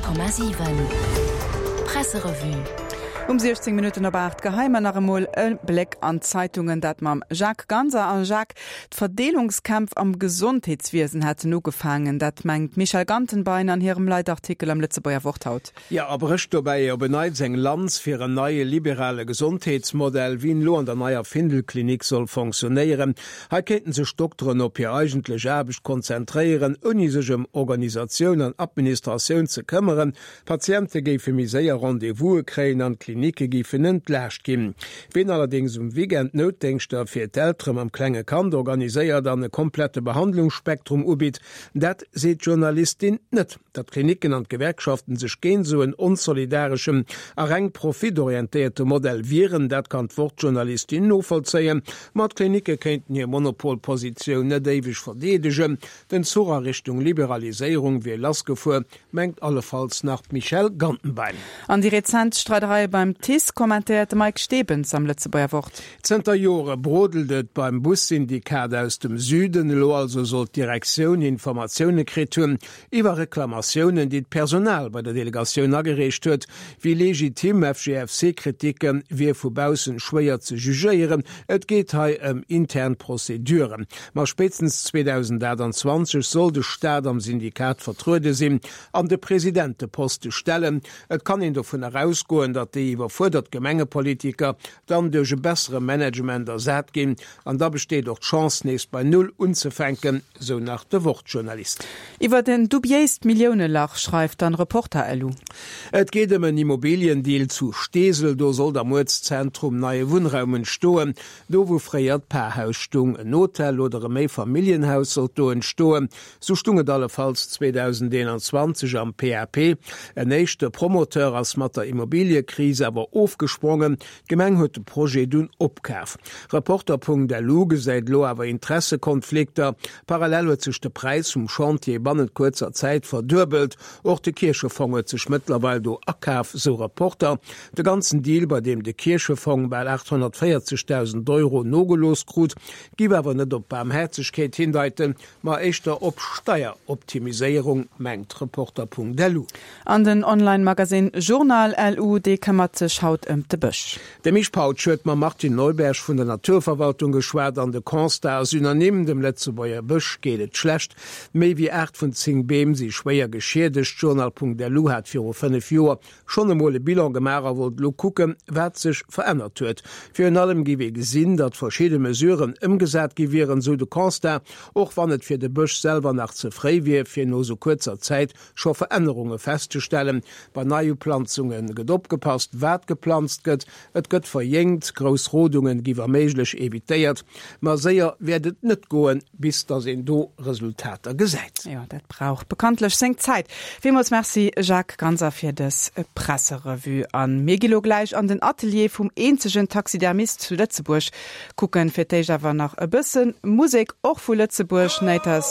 100,7 Presserevue. Um 16 Minutten op 8 geheie mer nach emol e Bléck an d'Zeitungen, dat mam Jacques Ganser. A Jacques, d'Verdeelungskämpf am Gesondheetswiesen hätten ugefaangen, dat mengt d'Michèle Gantenbein an hirem Leitartikel am Lëtzebuerger Wort haut. Jo, a brécht dobäi op en Neits eng Lanz fir en neie liberale Gesondheetsmodell, wéi en elo an der neier Findel-Klinik soll fonctionnéieren. Hei kéinten sech d'Dokteren op hir eigentlech Aarbecht konzentréieren, ouni sech ëm Organisatioun an Administratioun ze këmmeren. D'Patiente géife méi séier Rendez-vouse kréien an d'Klinike géifen entlaascht ginn. Ween allerdéngs um Weekend Noutdéngschter fir d'Eltere mam klenge Kand organiséiert an e komplette Behandlungsspektrum ubitt, dat seet d'Journalistin net. Datt d'Klinicken an d'Gewerkschaften sech géint esou en onsolidareschen a reng profitorientéierte Modell wieren, dat kann d'Wort-Journalistin novollzéien. Ma d'Klinicke kéinten hir Monopolpositioun net éiweg verdeedegen. Den Zuch a Richtung Liberaliséierung wier lassgefuer, mengt allefalls nach d'Michèle Gantenbein. An déi rezent Streidereie beim TICE kommentéiert de Mike Stebens am Lëtzebuerger Wort. Zënter Jore brodelt et beim Bussyndikat aus dem Süden. Elo also soll d'Direktioun Informatioune kritt hunn iwwer Reklamatiounen, déi d'Personal bei der Delegatioun agereecht huet. Wéi legitim FGFC-Kriticke wier vu baussen schwéier ze jugéieren. Et geet hei ëm intern Prozeduren. Ma spéitstens 2028 soll de Staat am Syndikat vertruede sinn an de Presidenteposte stellen. Et kann een dovun erausgoen, datt déi iwwerfuerdert Gemengepolitiker dann duerch e bessere Management ersat ginn an da besteet och d'Chance nees bei Null unzefänken, sou nach de Wort-Journalist. Iwwert en dubiéist Milliounelach schreift dann Reporter-LU. Et geet ëm en Immobiliendeal zu Steesel. Do sollt am Uertszentrum neie Wunnraum entstoen, do wou fréier d'Parhaus stung. En Hotel oder e Méifamilljenhaus sollt do entstoen. Sou stung et allefalls 2021 am PAP. En éischte Promoteur ass mat der Immobiliëkris awer ofgesprongen. D'Gemeng huet de Projet dunn opkaf. Reporter.lu gesäit elo awer Interessekonflikter. Parallel huet sech de Präis vum Chantier bannent kuerzer Zäit verduebelt. Och de Kierchefong huet sech mëttlerweil do akaf, sou Reporter. De ganzen Deal, bei deem de Kierchefong bal 840.000 Euro nogelooss krut, giff awer net op Baarmhäerzegkeet hindeiten, ma éischter op Steieroptimiséierung, mengt Reporter.lu. An den Online-Magasinn Journal LU, dee këmmert sech haut ëm de Bësch. De Misch Pautsch huet mam Martin Neuberg vun der Naturverwaltung geschwat an de Constat ass unanime, dem Lëtzebuerger Bësch geet et schlecht. Méi wéi 8 vun 10 Beem si schwéier geschiedegt. Journal.lu hat viru 5 Joer schonn emol e Bilan gemaach a wollt elo kucken, wat sech verännert huet. Virun allem géif ee gesinn, datt verschidde Mesuren ëmgesat gi wieren, sou de Constat, och wann et fir de Bësch selwer nach ze fréi wier, fir no sou kuerzer Zäit scho Verännerunge festzestellen. Bei Neiuplanzunge gëtt opgepasst, wat geplanzt gëtt, et gëtt verjéngt, grouss Rodungen gi wa méiglech evitéiert. Ma séier wäert et net goen, bis datt een do Resultater gesäit. Jo, dat brauch bekanntlech seng Zäit. Villmools Merci Jacques Ganser fir dës Presserevue. A mir gi lo gläich an den Atelier vum eenzegen Taxidermist zu Lëtzebuerg kucken. Fir d'éischt awer nach e bësse Musek, och vu Lëtzebuerg, Naters.